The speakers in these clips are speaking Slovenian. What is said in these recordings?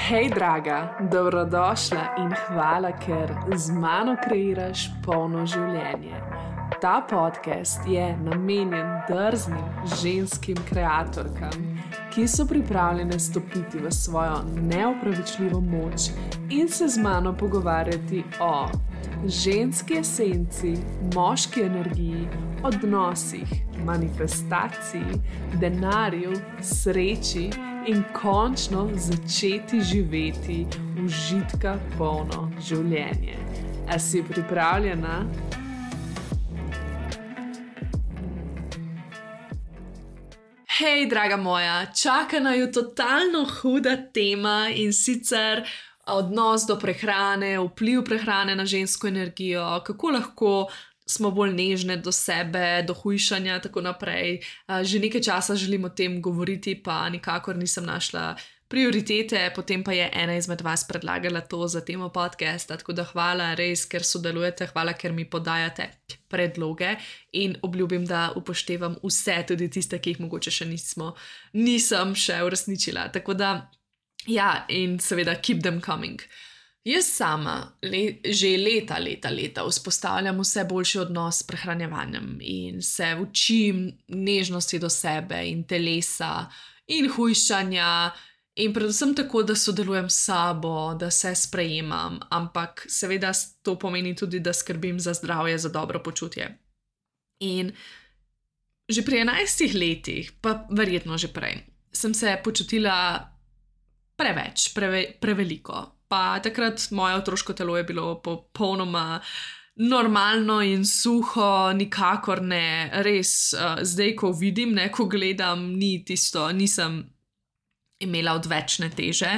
Hej, draga, dobrodošla in hvala, ker z mano kreiraš polno življenje. Ta podcast je namenjen drznim ženskim kreatorkam, ki so pripravljene stopiti v svojo neopravičljivo moč in se z mano pogovarjati o ženski esenci, moški energiji, odnosih, manifestaciji, denarju, sreči in končno začeti živeti užitka polno življenje. A si pripravljena? Hej, draga moja, čaka naju totalno huda tema in sicer odnos do prehrane, vpliv prehrane na žensko energijo, kako lahko smo bolj nežne do sebe, do hujšanja, tako naprej. Že nekaj časa želim o tem govoriti, pa nikakor nisem našla prioritete, potem pa je ena izmed vas predlagala to za temo podcasta, tako da hvala res, ker sodelujete, hvala, ker mi podajate predloge in obljubim, da upoštevam vse, tudi tiste, ki jih mogoče še nisem še uresničila. Tako da, ja, in seveda keep them coming. Jaz sama že leta vzpostavljam vse boljši odnos s prehranjevanjem in se učim nežnosti do sebe in telesa in hujšanja in predvsem tako, da sodelujem s sabo, da se sprejemam, ampak seveda to pomeni tudi, da skrbim za zdravje, za dobro počutje. In že pri 11 letih, pa verjetno že prej, sem se počutila preveliko. Pa takrat moje otroško telo je bilo popolnoma normalno in suho, nikakor ne, res, zdaj, ko vidim, ko gledam, nisem imela odvečne teže.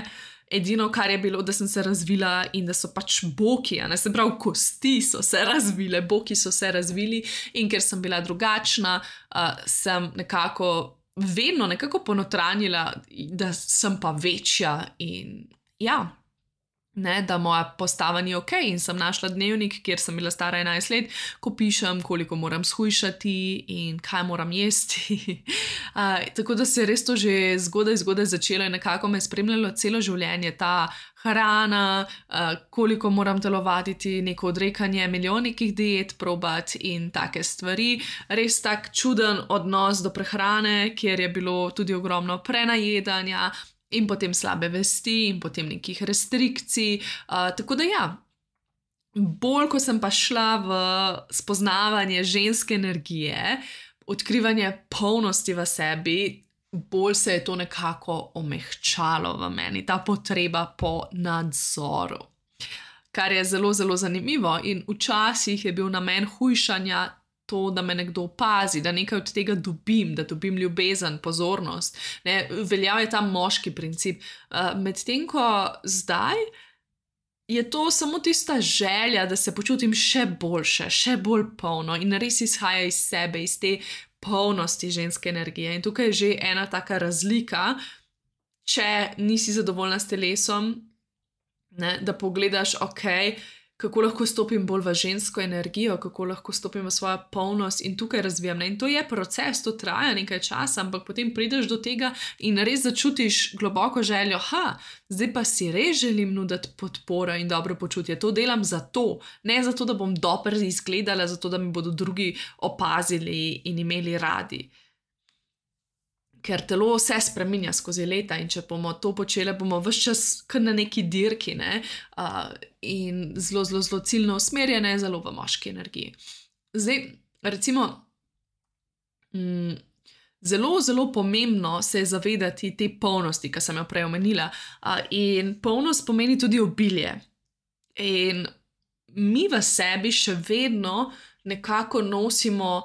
Edino, kar je bilo, da sem se razvila in da so pač boki, se pravi, kosti so se razvile, boki so se razvili in ker sem bila drugačna, sem vedno nekako ponotranjila, da sem pa večja in ja, da moja postava ni ok in sem našla dnevnik, kjer sem bila stara 11 let, ko pišem, koliko moram shujšati in kaj moram jesti. Tako da se je res to že zgodaj začelo in nekako me spremljalo celo življenje, ta hrana, koliko moram telovaditi, neko odrekanje, milijon nekih diet probati in take stvari. Res tak čuden odnos do prehrane, kjer je bilo tudi ogromno prenajedanja, in potem slabe vesti in potem nekih restrikcij. Tako da ja, bolj ko sem pa šla v spoznavanje ženske energije, odkrivanje polnosti v sebi, bolj se je to nekako omehčalo v meni, ta potreba po nadzoru. Kar je zelo zanimivo in včasih je bil namen hujšanja to, da me nekdo opazi, da nekaj od tega dobim, da dobim ljubezen, pozornost. Veljal je ta moški princip. Medtem ko zdaj je to samo tista želja, da se počutim še boljše, še bolj polno in res izhaja iz sebe, iz te polnosti ženske energije. In tukaj je že ena taka razlika, če nisi zadovoljna s telesom, da pogledaš, kako lahko stopim bolj v žensko energijo, kako lahko stopim v svojo polnost in tukaj razvijam. In to je proces, to traja nekaj časa, ampak potem prideš do tega in res začutiš globoko željo, zdaj pa si res želim nuditi podporo in dobro počutje. To delam zato, ne zato, da bom dobro izgledala, zato, da mi bodo drugi opazili in imeli radi. Ker telo se spreminja skozi leta in če bomo to počeli, bomo ves čas kar na neki dirki, in zelo ciljno usmerjene, zelo v moški energiji. Zdaj, recimo, zelo pomembno se je zavedati te polnosti, ki sem jo prej omenila. In polnost pomeni tudi obilje. In mi v sebi še vedno nekako nosimo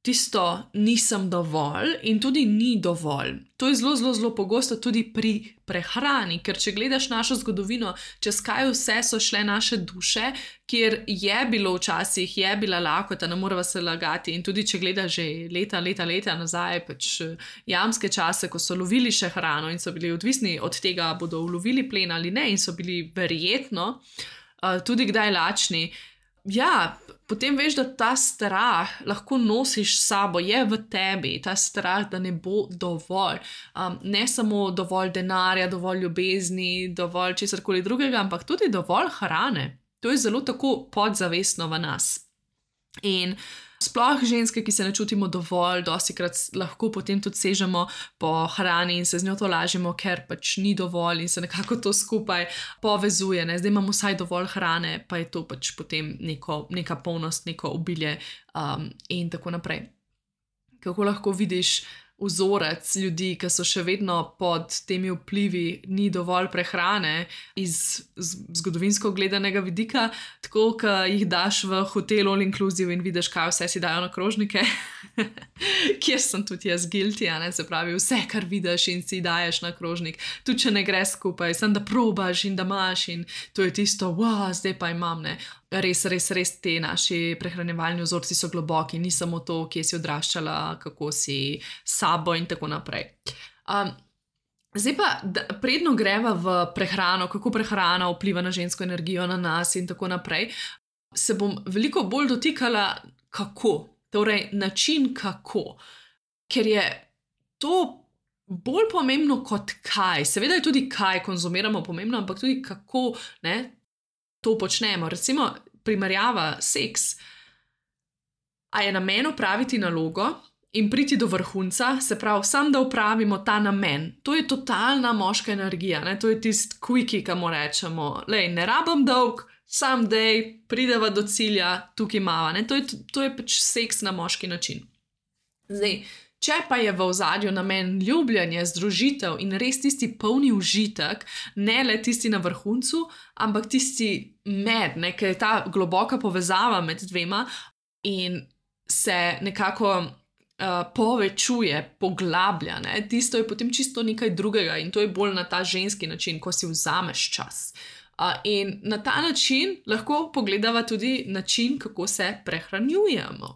tisto nisem dovolj in tudi ni dovolj. To je zelo pogosto tudi pri prehrani, ker če gledaš našo zgodovino, čez kaj vse so šle naše duše, kjer je bilo včasih, je bila lakota, ne moreva se lagati in tudi če gledaš že leta nazaj, pač jamske čase, ko so lovili še hrano in so bili odvisni od tega, bodo ulovili plen ali ne in so bili verjetno tudi kdaj lačni. Ja, potem veš, da ta strah lahko nosiš s sabo, je v tebi, ta strah, da ne bo dovolj. Ne samo dovolj denarja, dovolj ljubezni, dovolj česarkoli drugega, ampak tudi dovolj hrane. To je zelo tako podzavestno v nas. In sploh ženske, ki se ne čutimo dovolj, dostikrat lahko potem tudi sežemo po hrani in se z njo tolažimo, ker pač ni dovolj in se nekako to skupaj povezuje. Ne? Zdaj imamo vsaj dovolj hrane, pa je to pač potem neka polnost, neko obilje in tako naprej. Kako lahko vidiš vzorec ljudi, ki so še vedno pod temi vplivi, ni dovolj prehrane iz zgodovinsko gledanega vidika, tako, ko jih daš v hotel all inclusive in vidiš, kaj vse si dajo na krožnike, kjer sem tudi jaz guilty, se pravi, vse, kar vidiš in si daješ na krožnik, tudi če ne gre skupaj, sem da probaš in da imaš in to je tisto, wow, zdaj pa imam, ne. Res te naši prehranjevalni vzorci so globoki, ni samo to, kje si odraščala, kako si sabo in tako naprej. Zdaj pa, predno greva v prehrano, kako prehrana vpliva na žensko energijo, na nas in tako naprej, se bom veliko bolj dotikala kako, torej način kako, ker je to bolj pomembno kot kaj. Seveda je tudi kaj konzumiramo pomembno, ampak tudi kako, ne, to počnemo. Recimo, primerjava seks. A je namen opraviti nalogo in priti do vrhunca, se pravi, sam da opravimo ta namen. To je totalna moška energija, ne? To je tisti quickie, ki mu rečemo, lej, ne rabim dolg, sam dej, prideva do cilja, tukaj mava. Ne? To je pač seks na moški način. Zdaj, če pa je v ozadju namen ljubljanje, združitev in res tisti polni užitek, ne le tisti na vrhuncu, ampak tisti med, ker je ta globoka povezava med dvema in se nekako povečuje, poglablja, ne? Tisto je potem čisto nekaj drugega in to je bolj na ta ženski način, ko si vzameš čas. In na ta način lahko pogledava tudi način, kako se prehranjujemo.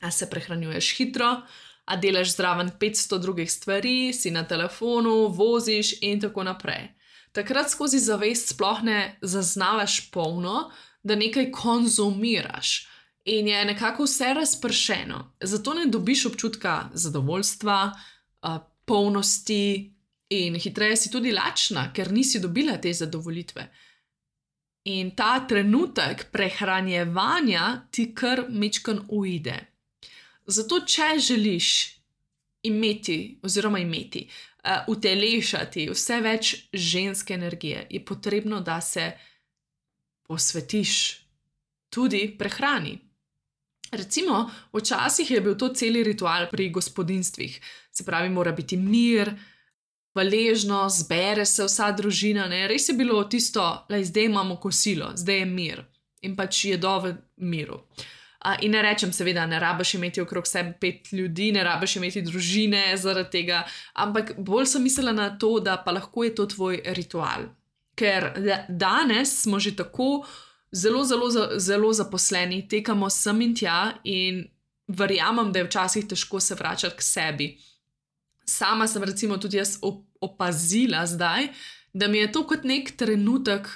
A se prehranjuješ hitro, a delaš zraven 500 drugih stvari, si na telefonu, voziš in tako naprej. Takrat skozi zavest sploh ne zaznavaš polno, da nekaj konzumiraš in je nekako vse razpršeno. Zato ne dobiš občutka zadovoljstva, polnosti in hitreje si tudi lačna, ker nisi dobila te zadovoljitve. In ta trenutek prehranjevanja ti kar majčkeno uide. Zato, če želiš imeti, utelešati vse več ženske energije, je potrebno, da se posvetiš tudi prehrani. Recimo, včasih je bil to celi ritual pri gospodinjstvih. Se pravi, mora biti mir, hvaležno, zbere se vsa družina, ne? Res je bilo tisto, zdaj imamo kosilo, zdaj je mir in pač jedo v miru. In ne rečem, seveda, ne rabiš imeti okrog sebe 5 ljudi, ne rabiš imeti družine zaradi tega, ampak bolj sem mislila na to, da pa lahko je to tvoj ritual. Ker danes smo že tako zelo zaposleni, tekamo sem in tja in verjamem, da je včasih težko se vračati k sebi. Sama sem recimo tudi jaz opazila zdaj, da mi je to kot nek trenutek,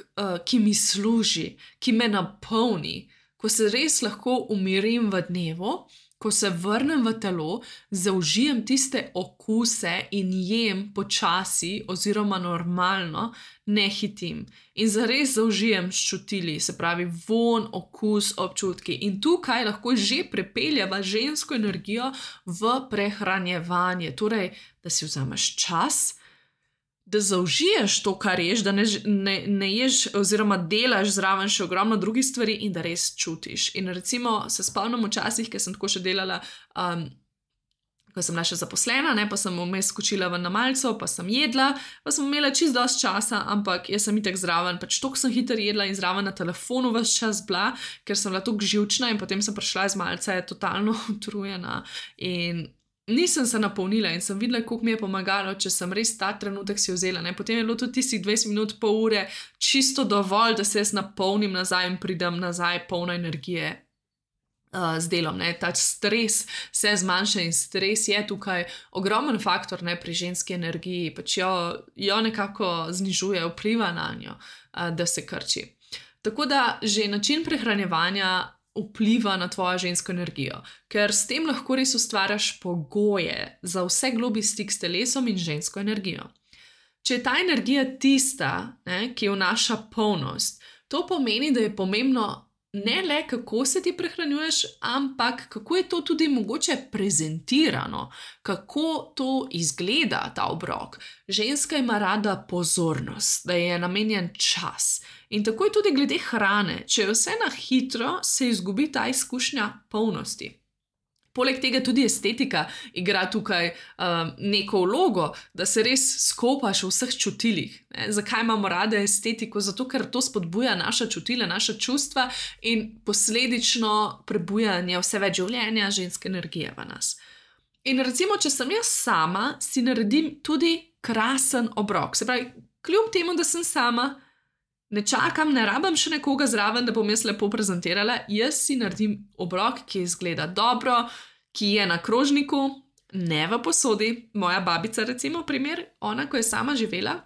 ki mi služi, ki me napolni, ko se res lahko umirim v dnevu, ko se vrnem v telo, zaužijem tiste okuse in jem počasi oziroma normalno, ne hitim. In zares zaužijem s čutili, se pravi vonj, okus, občutki. In tukaj lahko že prepeljeva žensko energijo v prehranjevanje. Torej, da si vzameš čas, da zaužiješ to, kar ješ, da ne ješ oziroma delaš zraven še ogromno drugih stvari in da res čutiš. In recimo se spomnim včasih, ker sem tako še delala, ko sem bila še zaposlena, ne, pa sem vmes skočila ven na malico, pa sem jedla, pa sem imela čisto dosti časa, ampak jaz sem itak zraven, pač toliko sem hitro jedla in zraven na telefonu ves čas bila, ker sem bila toliko živčna in potem sem prišla iz malice totalno utrujena in nisem se napolnila in sem videla, koliko mi je pomagalo, če sem res ta trenutek si vzela. Ne? Potem je bilo tudi tistih 20 minut, pol ure čisto dovolj, da se jaz napolnim nazaj in pridem nazaj polna energije z delom. Ne? Ta stres se zmanjša in stres je tukaj ogromen faktor, ne, pri ženski energiji, pač jo nekako znižuje, vpliva na njo, da se krči. Tako da že način prehranjevanja vpliva na tvojo žensko energijo, ker s tem lahko res ustvarjaš pogoje za vse globlji stik s telesom in žensko energijo. Če je ta energija tista, ki vnaša polnost, to pomeni, da je pomembno ne le, kako se ti prehranjuješ, ampak kako je to tudi mogoče prezentirano, kako to izgleda, ta obrok. Ženska ima rada pozornost, da je namenjen čas. In tako je tudi glede hrane. Če je vse na hitro, se izgubi ta izkušnja polnosti. Poleg tega tudi estetika igra tukaj neko vlogo, da se res skopaš v vseh čutilih. Zakaj imamo rade estetiko? Zato, ker to spodbuja naša čutila, naša čustva in posledično prebujanje vse več življenja, ženske energije v nas. In recimo, če sem jaz sama, si naredim tudi krasen obrok. Se pravi, kljub temu, da sem sama, ne čakam, ne rabim še nekoga zraven, da bom jaz lepo prezentirala, jaz si naredim obrok, ki izgleda dobro, ki je na krožniku, ne v posodi. Moja babica, recimo, primer, ona, ko je sama živela,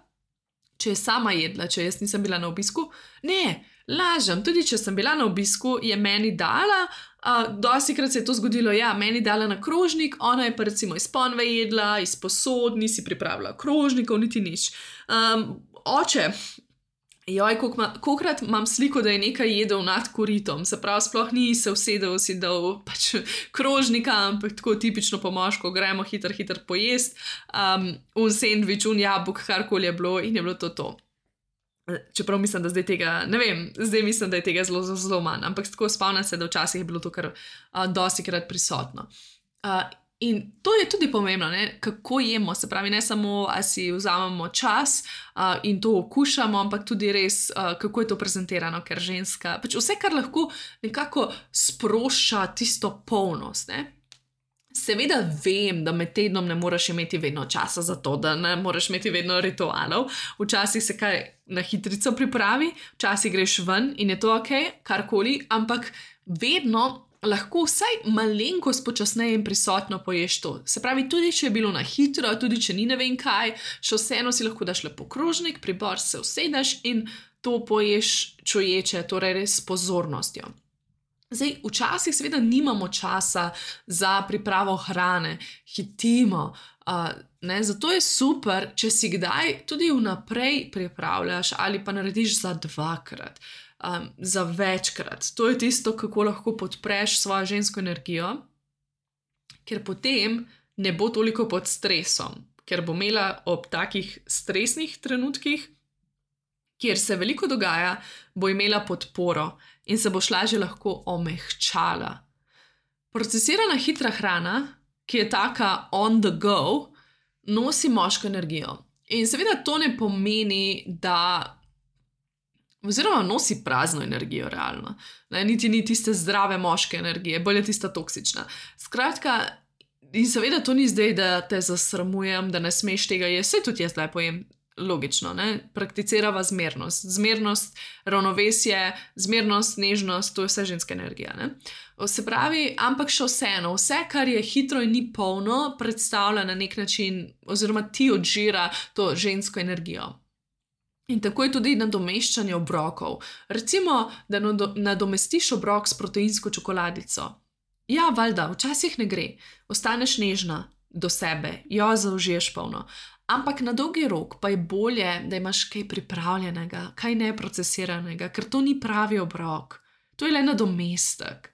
če je sama jedla, če jaz nisem bila na obisku, ne, lažem, tudi če sem bila na obisku, je meni dala, dostikrat se je to zgodilo, ja, meni dala na krožnik, ona je pa recimo iz ponve jedla, iz posod, nisi pripravila krožnikov, niti nič. Oče, kolikrat imam sliko, da je nekaj jedel nad koritom, se pravi, sploh ni se usedel, si dal pač krožnika, ampak tako tipično po moško, gremo hitro pojest, un sendvič, un jabolk, karkoli je bilo in je bilo to. Čeprav mislim, da zdaj tega, ne vem, zdaj mislim, da je tega zelo manj, ampak tako spomnim se, da včasih je bilo to kar dostikrat prisotno. In to je tudi pomembno, kako jemo, se pravi, ne samo, a si vzamemo čas in to okušamo, ampak tudi res, kako je to prezentirano, ker ženska, pač vse, kar lahko nekako sprošča tisto polnost, Seveda vem, da med tednom ne moreš imeti vedno časa za to, da ne moreš imeti vedno ritualov, včasih se kaj na hitrico pripravi, včasih greš ven in je to ok, karkoli, ampak vedno lahko vsaj malenkost počasneje in prisotno poješ to. Se pravi, tudi če je bilo na hitro, tudi če ni ne vem kaj, še vseeno si lahko daš lepo krožnik, pribor se usedeš in to poješ čuječe, torej res s pozornostjo. Zdaj, včasih seveda nimamo časa za pripravo hrane, hitimo, zato je super, če si kdaj tudi vnaprej pripravljaš ali pa narediš za 2-krat. Za večkrat. To je tisto, kako lahko podpreš svojo žensko energijo, ker potem ne bo toliko pod stresom, ker bo imela ob takih stresnih trenutkih, kjer se veliko dogaja, bo imela podporo in se boš lažje lahko omehčala. Procesirana hitra hrana, ki je taka on the go, nosi moško energijo. In seveda to ne pomeni, da oziroma nosi prazno energijo realno. Niti ni tiste zdrave moške energije, bolj je tista toksična. Skratka, in seveda to ni zdaj, da te zasramujem, da ne smeš tega jesti, saj tudi jaz zdaj pojem, logično, prakticirava zmernost. Zmernost, ravnovesje, zmernost, nežnost, to je vse ženska energija. Se pravi, ampak še vseeno, vse, kar je hitro in ni polno, predstavlja na nek način, oziroma ti odžira to žensko energijo. In tako je tudi nadomeščanje obrokov. Recimo, da nadomestiš obrok s proteinsko čokoladico. Ja, valjda, včasih ne gre. Ostaneš nežna do sebe, jo zaužiješ polno. Ampak na dolgi rok pa je bolje, da imaš kaj pripravljenega, kaj neprocesiranega, ker to ni pravi obrok. To je le nadomestek.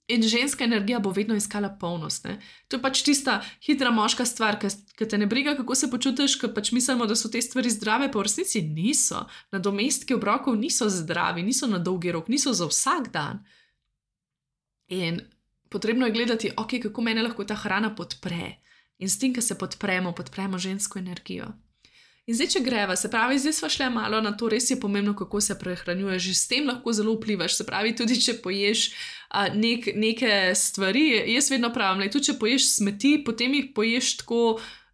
In ženska energija bo vedno iskala polnost. To je pač tista hitra moška stvar, ki te ne briga, kako se počutiš, ker pač mislimo, da so te stvari zdrave, pa v resnici niso. Nadomestki obrokov niso zdravi, niso na dolgi rok, niso za vsak dan. In potrebno je gledati, ok, kako mene lahko ta hrana podpre. In s tem, ko se podpremo žensko energijo. In zdaj, če greva, se pravi, zdaj sva šla malo na to, res je pomembno, kako se prehranjuješ, že s tem lahko zelo vplivaš, se pravi, tudi če poješ neke stvari, jaz vedno pravim, tudi če poješ smeti, potem jih poješ tako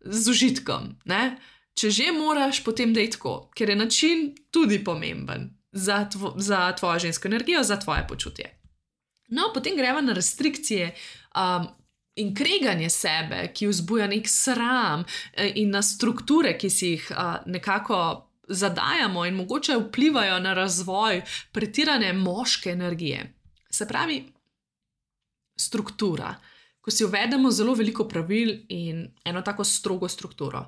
z užitkom, Če že moraš, potem dej tako, ker je način tudi pomemben za tvojo žensko energijo, za tvoje počutje. No, potem greva na restrikcije, in kreganje sebe, ki vzbuja nek sram in na strukture, ki si jih nekako zadajamo in mogoče vplivajo na razvoj pretirane moške energije. Se pravi, struktura. Ko si uvedemo zelo veliko pravil in eno tako strogo strukturo.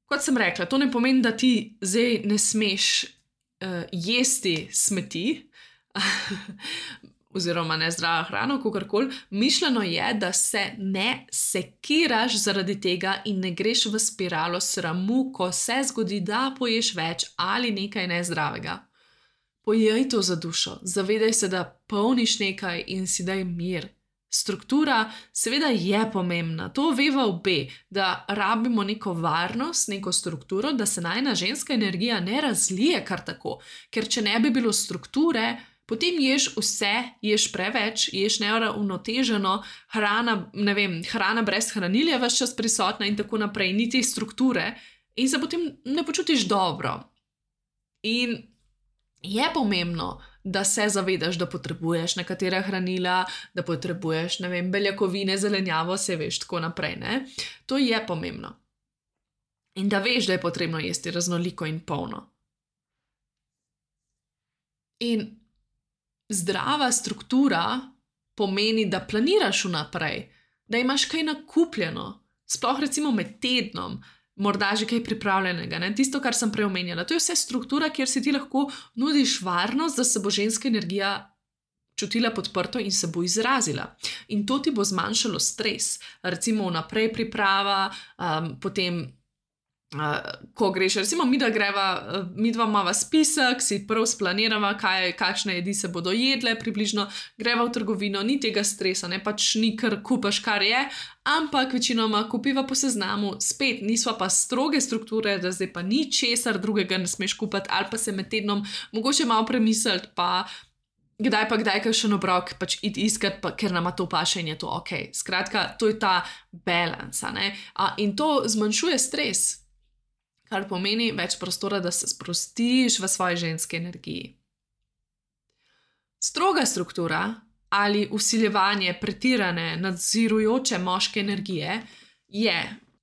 Kot sem rekla, to ne pomeni, da ti zdaj ne smeš jesti smeti, oziroma nezdravo hrano, kakorkoli. Mišljeno je, da se ne sekiraš zaradi tega in ne greš v spiralo sramu, ko se zgodi, da poješ več ali nekaj nezdravega. Pojej to za dušo, zavedaj se, da polniš nekaj in si daj mir. Struktura seveda je pomembna, to veva obe, da rabimo neko varnost, neko strukturo, da se najina ženska energija ne razlije kar tako, ker če ne bi bilo strukture, potem ješ vse, ješ preveč, ješ neuravnoteženo, hrana brez hranilja ves čas prisotna in tako naprej, ni te strukture in se potem ne počutiš dobro. In je pomembno, da se zavedaš, da potrebuješ nekatera hranila, da potrebuješ, beljakovine, zelenjavo, se veš, tako naprej, ne? To je pomembno. In da veš, da je potrebno jesti raznoliko in polno. In zdrava struktura pomeni, da planiraš vnaprej, da imaš kaj nakupljeno, sploh recimo med tednom, morda že kaj pripravljenega, ne? Tisto, kar sem prej omenjala. To je vse struktura, kjer si ti lahko nudiš varnost, da se bo ženska energija čutila podprto in se bo izrazila. In to ti bo zmanjšalo stres. Recimo vnaprej priprava, potem ko greš, recimo mi dva imava spisek, si prav splanirava, kakšne jedi se bodo jedle, približno greva v trgovino, ni tega stresa, ne, pač ni kar kupaš, kar je, ampak večinoma kupiva po seznamu, spet nisva pa stroge strukture, da zdaj pa ni česar drugega ne smeš kupati, ali pa se med tednom mogoče malo premisliti, pa kdaj kakšen obrok pač iti iskat, ker nama to paše in je to ok. Skratka, to je ta balans, ne, in to zmanjšuje stres, kar pomeni več prostora, da se sprostiš v svoji ženski energiji. Stroga struktura ali vsiljevanje pretirane, nadzirujoče moške energije je,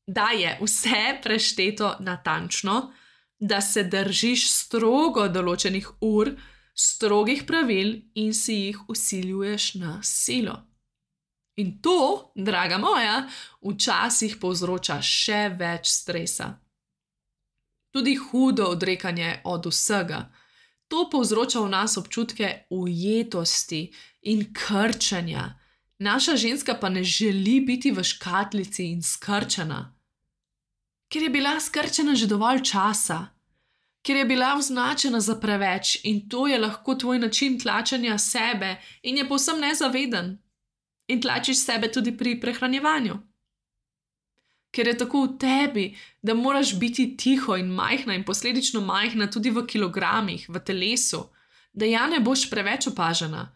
da je vse prešteto natančno, da se držiš strogo določenih ur, strogih pravil in si jih vsiljuješ na silo. In to, draga moja, včasih povzroča še več stresa. Tudi hudo odrekanje od vsega. To povzroča v nas občutke ujetosti in krčenja. Naša ženska pa ne želi biti v škatlici in skrčena. Ker je bila skrčena že dovolj časa. Ker je bila označena za preveč in to je lahko tvoj način tlačenja sebe in je povsem nezaveden. In tlačiš sebe tudi pri prehranjevanju. Ker je tako v tebi, da moraš biti tiho in majhna in posledično majhna tudi v kilogramih, v telesu, da ja ne boš preveč opažena,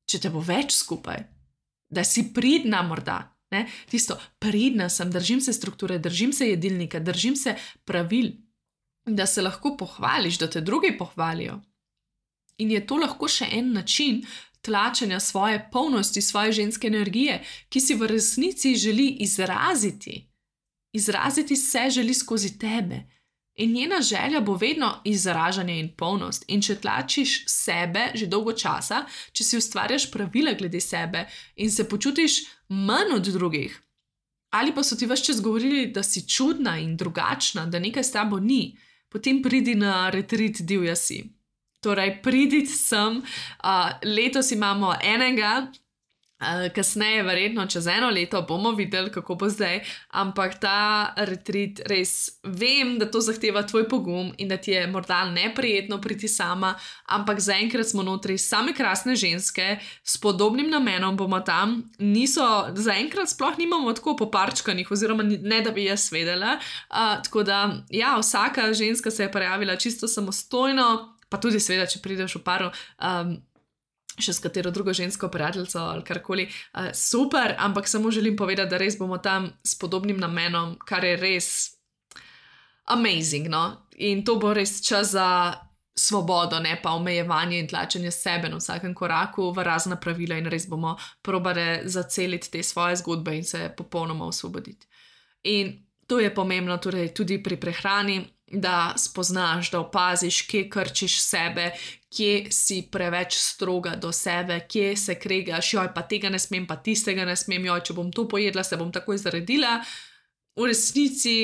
če te bo več skupaj, da si pridna morda, ne? Tisto, pridna sem, držim se strukture, držim se jedilnika, držim se pravil, da se lahko pohvališ, da te drugi pohvalijo. In je to lahko še en način tlačenja svoje polnosti, svoje ženske energije, ki si v resnici želi izraziti. Izraziti se želi skozi tebe. In njena želja bo vedno izražanje in polnost. In če tlačiš sebe že dolgo časa, če si ustvarjaš pravila glede sebe in se počutiš manj od drugih, ali pa so ti ves čas govorili, da si čudna in drugačna, da nekaj s tabo ni, potem pridi na retreat Divja si. Torej, pridite sem, letos imamo enega, kasneje, verjetno čez 1 leto, bomo videli, kako bo zdaj, ampak ta retreat res vem, da to zahteva tvoj pogum in da ti je morda neprijetno priti sama, ampak zaenkrat smo notri same krasne ženske, s podobnim namenom bomo tam, zaenkrat sploh nimamo tako poparčkanih, oziroma ne da bi jaz vedela, tako da, ja, vsaka ženska se je prijavila čisto samostojno, pa tudi seveda, če prideš v paru, še s katero drugo žensko prijateljico ali karkoli, super, ampak samo želim povedati, da res bomo tam s podobnim namenom, kar je res amazing, no? In to bo res čas za svobodo, ne pa omejevanje in tlačenje sebe na vsakem koraku v razna pravila in res bomo probali zaceliti te svoje zgodbe in se popolnoma osvoboditi. In to je pomembno torej tudi pri prehrani, da spoznaš, da opaziš, kje krčiš sebe, kje si preveč stroga do sebe, kje se kregaš, joj, pa tega ne smem, pa tistega ne smem, joj, če bom to pojedla, se bom takoj zaredila. V resnici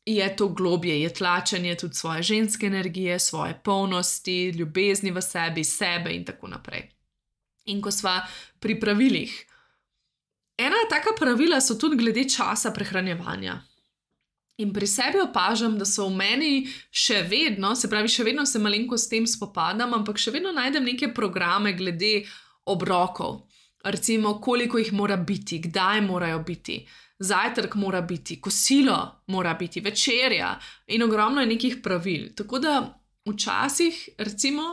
je to globje, je tlačenje tudi svoje ženske energije, svoje polnosti, ljubezni v sebi, sebe in tako naprej. In ko sva pri pravilih, ena taka pravila so tudi glede časa prehranjevanja. In pri sebi opažam, da so v meni še vedno, se pravi, še vedno se malenko s tem spopadam, ampak še vedno najdem neke programe glede obrokov. Recimo, koliko jih mora biti, kdaj morajo biti, zajtrk mora biti, kosilo mora biti, večerja in ogromno je nekih pravil. Tako da včasih, recimo,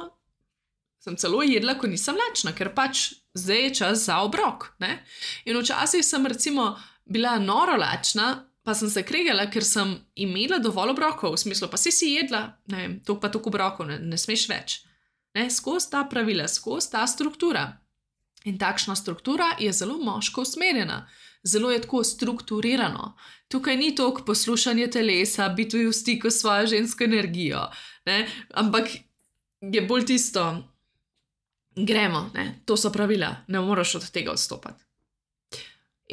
sem celo jedla, ko nisem lačna, ker pač zdaj je čas za obrok, ne? In včasih sem recimo bila noro lačna, pa sem se kregala, ker sem imela dovolj obrokov, v smislu, pa si jedla, ne vem, toliko pa toliko obrokov, ne smeš več. Ne, skozi ta pravila, skozi ta struktura. In takšna struktura je zelo moško usmerjena, zelo je tako strukturirano. Tukaj ni toliko poslušanje telesa, biti v stiku s svojo žensko energijo, ne? Ampak je bolj tisto, gremo, ne? To so pravila, ne moreš od tega odstopati.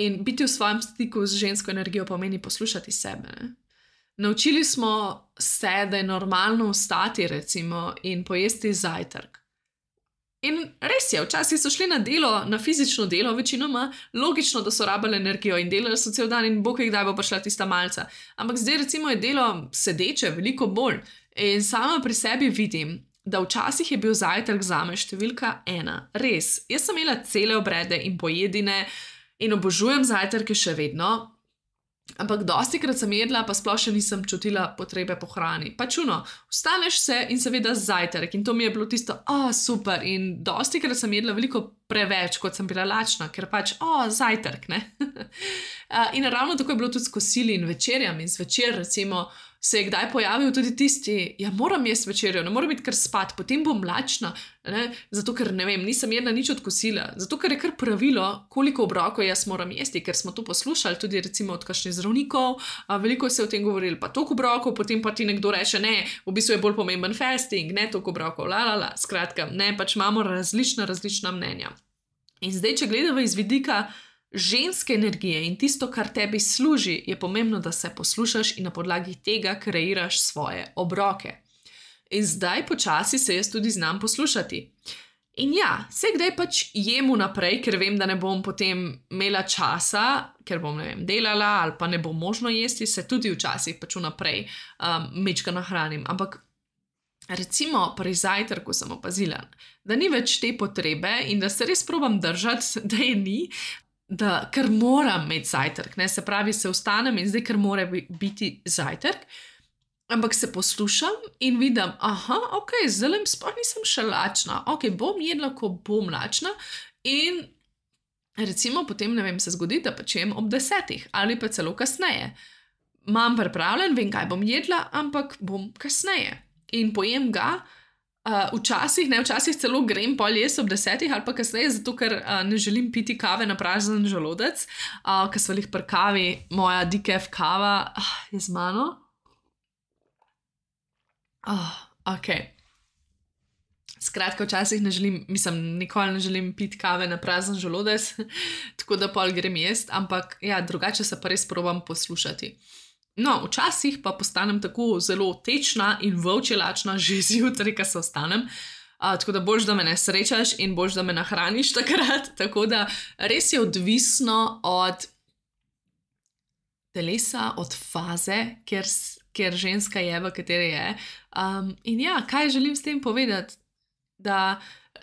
In biti v svojem stiku z žensko energijo pomeni poslušati sebe. Ne? Naučili smo se, da je normalno vstati recimo in pojesti zajtrk. In res je, včasih so šli na delo, na fizično delo večinoma, logično, da so rabili energijo in delali so cel dan in bog je kdaj bo prišla tista malca. Ampak zdaj recimo je delo sedeče veliko bolj in sama pri sebi vidim, da včasih je bil zajtrk zame številka 1. Res, jaz sem imela cele obrede in pojedine, in obožujem zajtrke še vedno, ampak dostikrat sem jedla, pa sploh še nisem čutila potrebe po hrani. Pač vstaneš se in seveda zajtrk in to mi je bilo tisto, super, in dostikrat sem jedla veliko preveč, kot sem bila lačna, ker pač, zajtrk, ne? In ravno tako je bilo tudi s kosili in večerjami. In zvečer recimo se je kdaj pojavil tudi tisti, moram jesti večerjo, ne moram biti kar spat, potem bom lačna, ne? Zato ker, ne vem, nisem jedla nič od kosila, zato ker je kar pravilo, koliko obrokov jaz moram jesti, ker smo to poslušali tudi recimo od kakšnih zdravnikov, veliko se je o tem govorili, pa toliko obrokov, potem pa ti nekdo reče, ne, v bistvu je bolj pomemben fasting, ne toliko obrokov, skratka, ne, pač imamo različna mnenja. In zdaj, če gledamo iz vidika ženske energije in tisto, kar tebi služi, je pomembno, da se poslušaš in na podlagi tega kreiraš svoje obroke. In zdaj počasi se jaz tudi znam poslušati. In ja, vse kdaj pač jem vnaprej, ker vem, da ne bom potem imela časa, ker bom, ne vem, delala ali pa ne bo možno jesti, se tudi včasih pač vnaprej mečka nahranim. Ampak recimo pri zajtrku sem opazila, da ni več te potrebe in da se res probam držati, da je ni, da ker moram imeti zajtrk, ne? Se pravi, se vstanem in zdaj ker mora biti zajtrk, ampak se poslušam in vidim, ok, zdaj sploh nisem še lačna, ok, bom jedla, ko bom lačna in recimo potem, ne vem, se zgodi, da pač jem ob 10 ali pa celo kasneje. Imam pripravljen, vem, kaj bom jedla, ampak bom kasneje in pojem ga. Včasih celo grem pol jesti ob 10 ali pa kasneje, zato ker ne želim piti kave na prazen želodec, ker sva lih pri kavi, moja decaf kava je z mano. Ok. Skratka, včasih nikoli ne želim piti kave na prazen želodec, tako da pol grem jesti, ampak ja, drugače se pa res probam poslušati. No, včasih pa postanem tako zelo tečna in volčje lačna že zjutraj, ko se vstanem, tako da boljš, da me ne srečaš in boljš, da me nahraniš takrat, tako da res je odvisno od telesa, od faze, ker ženska je, v kateri je. In ja, kaj želim s tem povedati? Da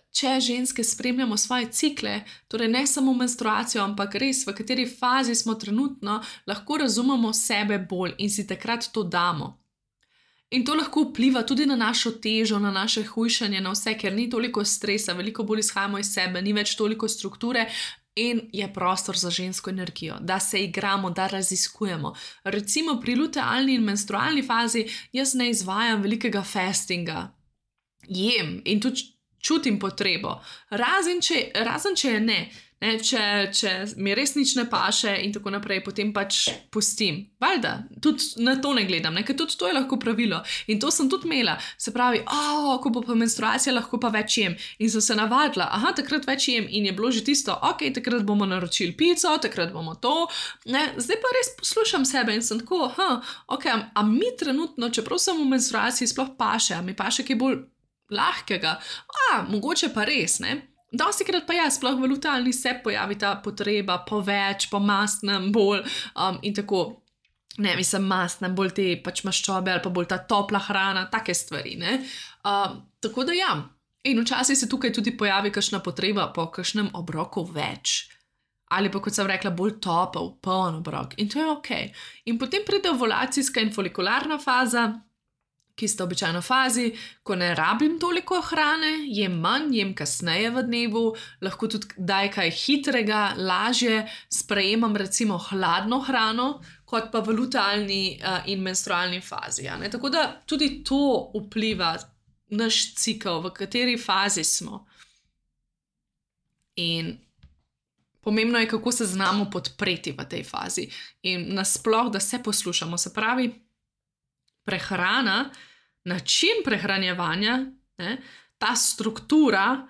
če ženske spremljamo svoje cikle, torej ne samo menstruacijo, ampak res v kateri fazi smo trenutno, lahko razumemo sebe bolj in si takrat to damo. In to lahko vpliva tudi na našo težo, na naše hujšanje, na vse, ker ni toliko stresa, veliko bolj izhajamo iz sebe, ni več toliko strukture in je prostor za žensko energijo, da se igramo, da raziskujemo. Recimo pri lutealni in menstrualni fazi jaz ne izvajam velikega fastinga. Jem in tudi čutim potrebo, razen če je ne. Če mi res nič ne paše in tako naprej, potem pač pustim. Valjda, tudi na to ne gledam, ker tudi to je lahko pravilo. In to sem tudi imela. Se pravi, ko bo pa menstruacija, lahko pa več jem. In sem se navadila, takrat več jem in je bilo že tisto, takrat bomo naročili pico, takrat bomo to. Zdaj pa res poslušam sebe in sem tako, a mi trenutno, čeprav sem v menstruaciji, sploh paše, a mi paše kaj bolj lahkega. Mogoče pa res, ne? Dosti krat pa sploh v lutealni se pojavi ta potreba po več, po mastnem bolj in tako, ne, mislim mastnem, bolj te pač maščobe ali pa bolj ta topla hrana, take stvari, ne. Tako da in včasih se tukaj tudi pojavi kakšna potreba po kakšnem obroku več. Ali pa, kot sem rekla, bolj topel, poln obrok in to je okej. In potem pride ovulacijska in folikularna faza, ki sta običajno fazi, ko ne rabim toliko hrane, jem manj, jem kasneje v dnevu, lahko tudi daj kaj hitrega, lažje sprejemam recimo hladno hrano, kot pa v lutealni in menstrualni fazi. Tako da tudi to vpliva naš cikel, v kateri fazi smo. In pomembno je, kako se znamo podpreti v tej fazi. In nasploh, da se poslušamo, se pravi, prehrana, način prehranjevanja, ta struktura,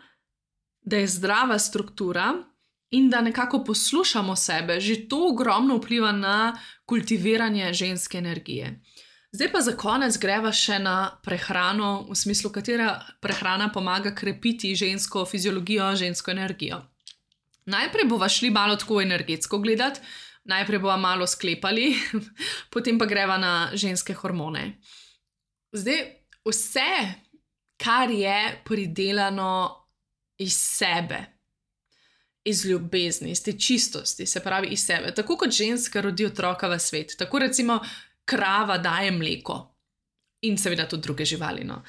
da je zdrava struktura in da nekako poslušamo sebe, že to ogromno vpliva na kultiviranje ženske energije. Zdaj pa za konec greva še na prehrano, v smislu, katera prehrana pomaga krepiti žensko fiziologijo, žensko energijo. Najprej bova šli malo tako energetsko gledati, najprej bova malo sklepali, potem pa greva na ženske hormone. Zdaj, vse, kar je pridelano iz sebe, iz ljubezni, iz te čistosti, se pravi iz sebe, tako kot ženska rodi otroka v svet, tako recimo krava daje mleko in seveda tudi druge živali, no.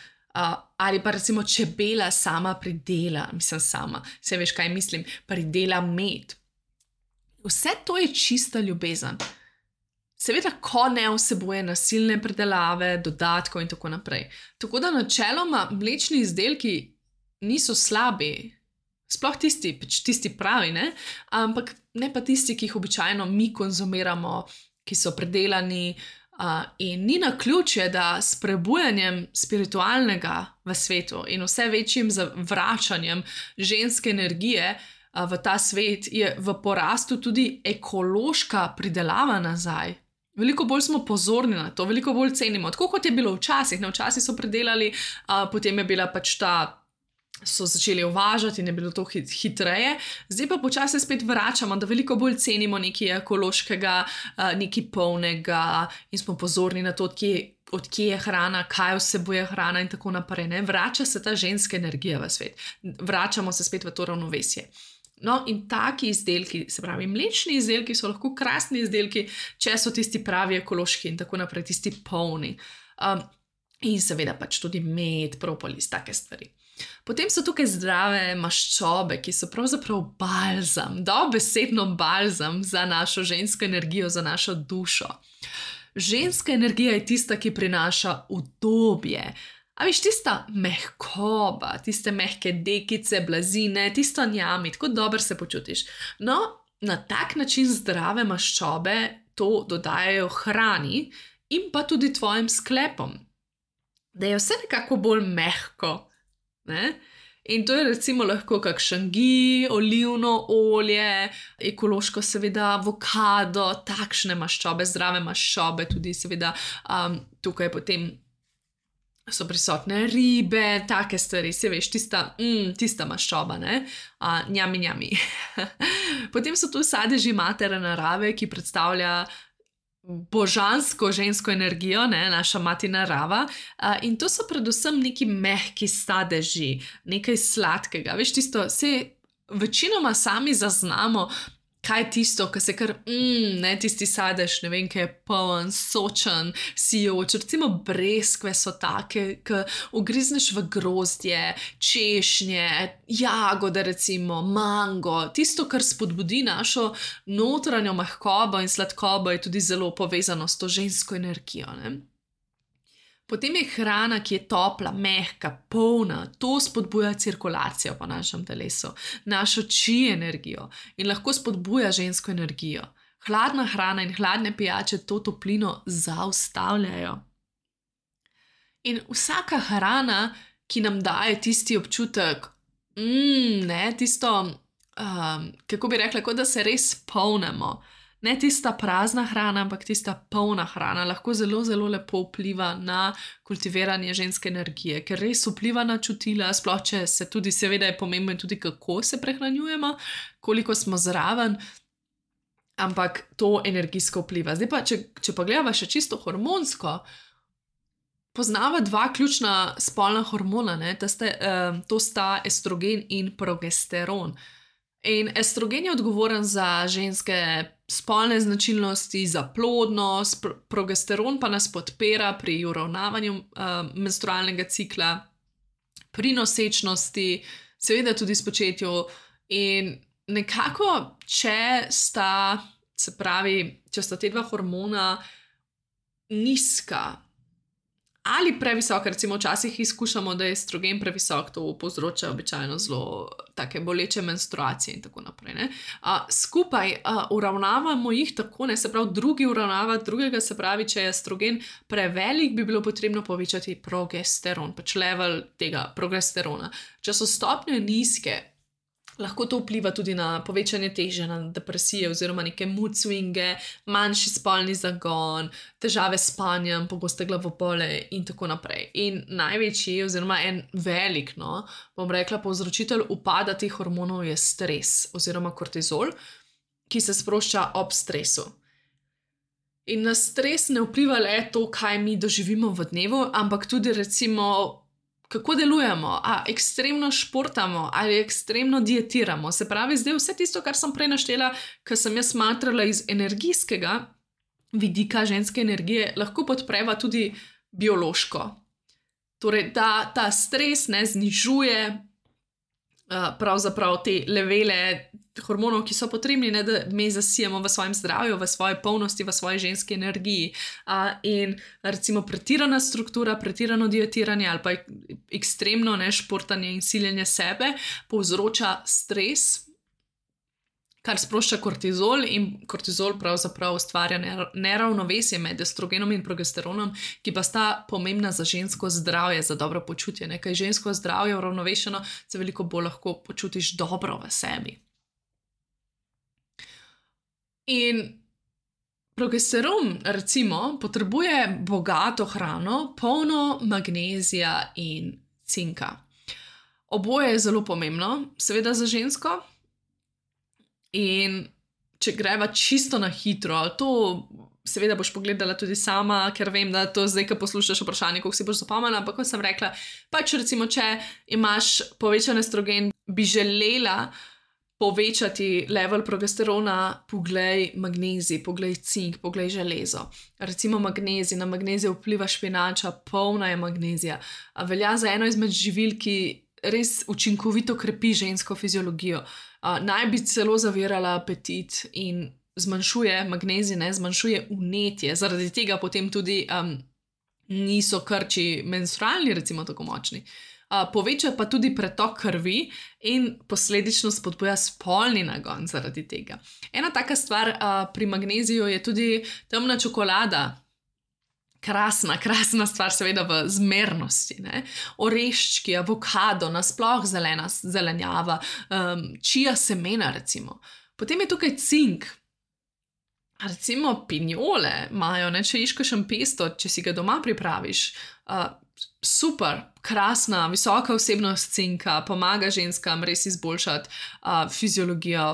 Ali pa recimo čebela sama pridela, se veš, kaj mislim, pridela med. Vse to je čista ljubezen. Seveda, ko ne vsebuje nasilne predelave, dodatkov in tako naprej. Tako da načeloma mlečni izdelki niso slabi, sploh tisti pravi, ne? Ampak ne pa tisti, ki jih običajno mi konzumiramo, ki so predelani in ni naključje, da s prebujanjem spiritualnega v svetu in vse večjim zavračanjem ženske energije v ta svet je v porastu tudi ekološka pridelava nazaj. Veliko bolj smo pozorni na to, veliko bolj cenimo. Tako kot je bilo včasih. Včasih so predelali, potem je bila pač so začeli uvažati in je bilo to hitreje. Zdaj pa počasi spet vračamo, da veliko bolj cenimo nekaj ekološkega, nekaj polnega in smo pozorni na to, od kje je hrana, kaj vsebuje hrana in tako naprej. Ne? Vrača se ta ženska energija v svet. Vračamo se spet v to ravnovesje. No, in taki izdelki, se pravi, mlečni izdelki so lahko krasni izdelki, če so tisti pravi ekološki in tako naprej, tisti polni. In seveda pač tudi med, propolis, take stvari. Potem so tukaj zdrave maščobe, ki so pravzaprav balzam, dobesedno balzam za našo žensko energijo, za našo dušo. Ženska energija je tista, ki prinaša udobje. A veš, tista mehkoba, tiste mehke dekice, blazine, tisto njami, tako dobro se počutiš. No, na tak način zdrave maščobe to dodajajo hrani in pa tudi tvojim sklepom. Da je vse nekako bolj mehko. Ne? In to je recimo lahko kakšen ghee, olivno olje, ekološko seveda avokado, takšne maščobe, zdrave maščobe, tudi seveda tukaj potem so prisotne ribe, take stvari, se veš, tista maščoba, ne? Njami. Potem so tu sadeži matere narave, ki predstavlja božansko žensko energijo, ne? Naša mati narava. In to so predvsem neki mehki sadeži, nekaj sladkega. Veš, tisto, večinoma sami zaznamo, kaj je tisto, ki se kar, tisti sadež, ne vem, ki je poln, sočen, sijoč, recimo breskve so take, ki ugrizneš v grozdje, češnje, jagode recimo, mango, tisto, kar spodbudi našo notranjo mehkobo in sladkobo je tudi zelo povezano s to žensko energijo, ne. Potem je hrana, ki je topla, mehka, polna, to spodbuja cirkulacijo po našem telesu, našo či energijo in lahko spodbuja žensko energijo. Hladna hrana in hladne pijače to toplino zaustavljajo. In vsaka hrana, ki nam daje tisti občutek, tisto, kako bi rekla, kot da se res polnimo. Ne tista prazna hrana, ampak tista polna hrana lahko zelo, zelo lepo vpliva na kultiviranje ženske energije, ker res vpliva na čutila, sploh če se tudi, seveda je pomembno tudi, kako se prehranjujemo, koliko smo zraven, ampak to energijsko vpliva. Zdaj pa, če pa gledava še čisto hormonsko, poznava dva ključna spolna hormona, to sta estrogen in progesteron. In estrogen je odgovoren za ženske spolne značilnosti, za plodnost, progesteron pa nas podpira pri uravnavanju menstrualnega cikla, pri nosečnosti, seveda tudi spočetju. In nekako, če sta te dva hormona nizka ali previsoka, recimo včasih izkušamo, da je estrogen previsok, to povzroča običajno zelo take boleče menstruacije in tako naprej. Skupaj uravnavamo jih tako, se pravi, drugi uravnava drugega, se pravi, če je estrogen prevelik, bi bilo potrebno povečati progesteron, pač level tega progesterona. Če so stopnje nizke, lahko to vpliva tudi na povečanje teže, na depresije oziroma neke mood swinge, manjši spolni zagon, težave s spanjem, pogoste glavobole in tako naprej. In največji oziroma en velik, bom rekla, povzročitelj upada teh hormonov je stres oziroma kortizol, ki se sprošča ob stresu. In na stres ne vpliva le to, kaj mi doživimo v dnevu, ampak tudi recimo kako delujemo, ekstremno športamo ali ekstremno dietiramo. Se pravi, zdaj vse tisto, kar sem prej naštela, kar sem jaz smatrala iz energijskega vidika ženske energije, lahko podpreva tudi biološko. Torej, ta stres znižuje pravzaprav te levele hormonov, ki so potrebni, da me zasijemo v svojem zdravju, v svoji polnosti, v svoji ženski energiji. In recimo pretirana struktura, pretirano dietiranje ali pa ekstremno športanje in siljenje sebe povzroča stres, kar sprošča kortizol, in kortizol pravzaprav ustvarja neravnovesje med estrogenom in progesteronom, ki pa sta pomembna za žensko zdravje, za dobro počutje. Kaj žensko zdravje uravnovešeno, se veliko bolj lahko počutiš dobro v sebi. In progesteron, recimo, potrebuje bogato hrano, polno magnezija in cinka. Oboje je zelo pomembno, seveda za žensko. In če greva čisto na hitro, to seveda boš pogledala tudi sama, ker vem, da to zdaj, ko poslušaš vprašanje, koliko si boš zapomnila, ampak kot sem rekla, pač recimo, če imaš povečan estrogen, bi želela povečati level progesterona, poglej magnezij, poglej cink, poglej železo. Recimo magnezij, na magnezij vpliva špinača, polna je magnezija. Velja za eno izmed živil, ki res učinkovito krepi žensko fiziologijo. Naj bi celo zavirala apetit in zmanjšuje magnezij, zmanjšuje vnetje. Zaradi tega potem tudi niso krči menstrualni, recimo, tako močni. Poveča pa tudi pretok krvi in posledično spodbuja spolni nagon zaradi tega. Ena taka stvar pri magneziju je tudi temna čokolada. Krasna stvar, seveda v zmernosti. Oreščki, avokado, nasploh zelena zelenjava, čija semena recimo. Potem je tukaj cink. Recimo pinjole imajo, če ješ kakšen pesto, če si ga doma pripraviš. Super, krasna, visoka vsebnost cinka, pomaga ženskam res izboljšati fiziologijo.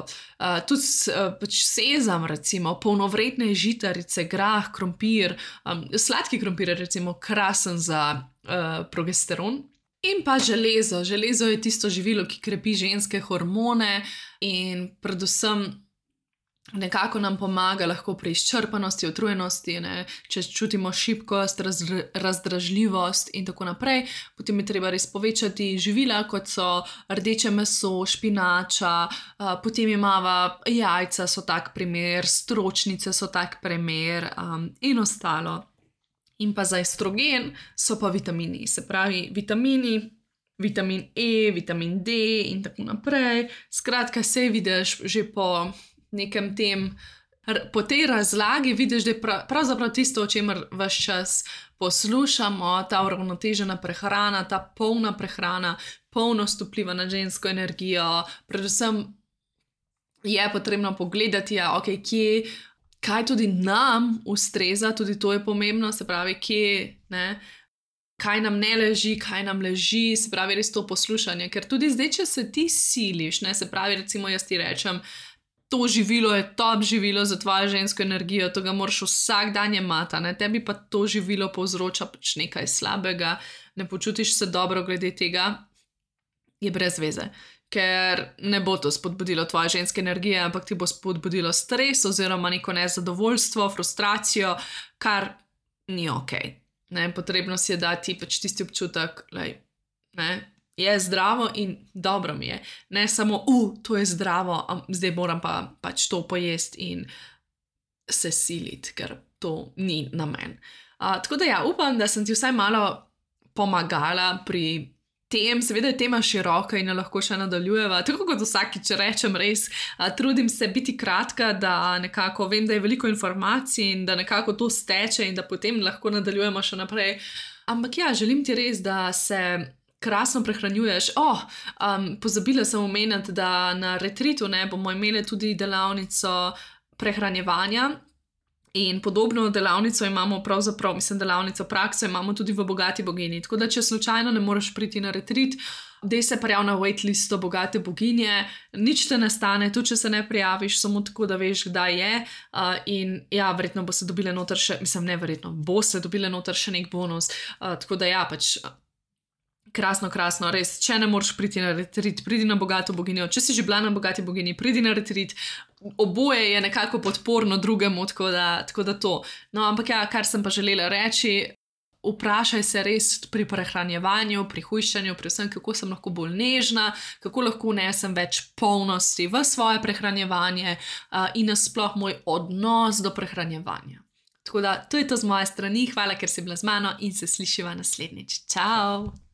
Tudi sezam, recimo, polnovredne žitarice, grah, krompir, sladki krompir je recimo krasen za progesteron. In pa železo. Železo je tisto živilo, ki krepi ženske hormone in predvsem nekako nam pomaga lahko pri izčrpanosti, utrujenosti, če čutimo šibkost, razdražljivost in tako naprej. Potem je treba res povečati živila, kot so rdeče meso, špinača, potem imava jajca, so tak primer, stročnice so tak primer in ostalo. In pa za estrogen so pa vitamini, se pravi vitamini, vitamin E, vitamin D in tako naprej. Skratka, sej vidiš že po nekem po tej razlagi vidiš, da je pravzaprav tisto, o čemer ves čas poslušamo, ta uravnotežena prehrana, ta polna prehrana, polnost vpliva na žensko energijo. Predvsem je potrebno pogledati, kaj tudi nam ustreza, tudi to je pomembno, se pravi, kaj nam ne leži, kaj nam leži, se pravi, res to poslušanje. Ker tudi zdaj, če se ti siliš, se pravi, recimo jaz ti rečem, to živilo je top živilo za tvojo žensko energijo, to ga moraš vsak dan jemati, tebi pa to živilo povzroča pač nekaj slabega, ne počutiš se dobro glede tega, je brez veze. Ker ne bo to spodbudilo tvoje ženske energije, ampak ti bo spodbudilo stres oziroma neko nezadovoljstvo, frustracijo, kar ni okej. Potrebno si je dati pač tisti občutek, je zdravo in dobro mi je. Ne samo, to je zdravo, zdaj moram pa pač to pojesti in se siliti, ker to ni namen. Tako da upam, da sem ti vsaj malo pomagala pri tem. Seveda je tema široka in jo lahko še nadaljujeva. Tako kot vsakič rečem, res trudim se biti kratka, da nekako vem, da je veliko informacij in da nekako to steče in da potem lahko nadaljujemo še naprej. Ampak želim ti res, da se krasno prehranjuješ. Pozabila sem omeniti, da na retreatu bomo imeli tudi delavnico prehranjevanja in podobno delavnico imamo pravzaprav, delavnico prakso imamo tudi v Bogati bogini. Tako da, če slučajno ne moreš priti na retreat, dej se prijavi na waitlisto Bogate boginje, nič te ne stane, tudi če se ne prijaviš, samo tako, da veš, kdaj je. In verjetno bo se dobile noter še, bo se dobile noter še nek bonus. Tako da pač krasno, res, če ne moreš priti na retreat, pridi na Bogato boginjo, če si že bila na Bogati bogini, pridi na retreat, oboje je nekako podporno drugemu, tako da to. No, ampak kar sem pa želela reči, vprašaj se res pri prehranjevanju, pri hujšanju, pri vsem, kako sem lahko bolj nežna, kako lahko vnesem več polnosti v svoje prehranjevanje in nasploh moj odnos do prehranjevanja. Tako da, to je to z moje strani, hvala, ker si bila z mano in se slišiva naslednjič. Čau!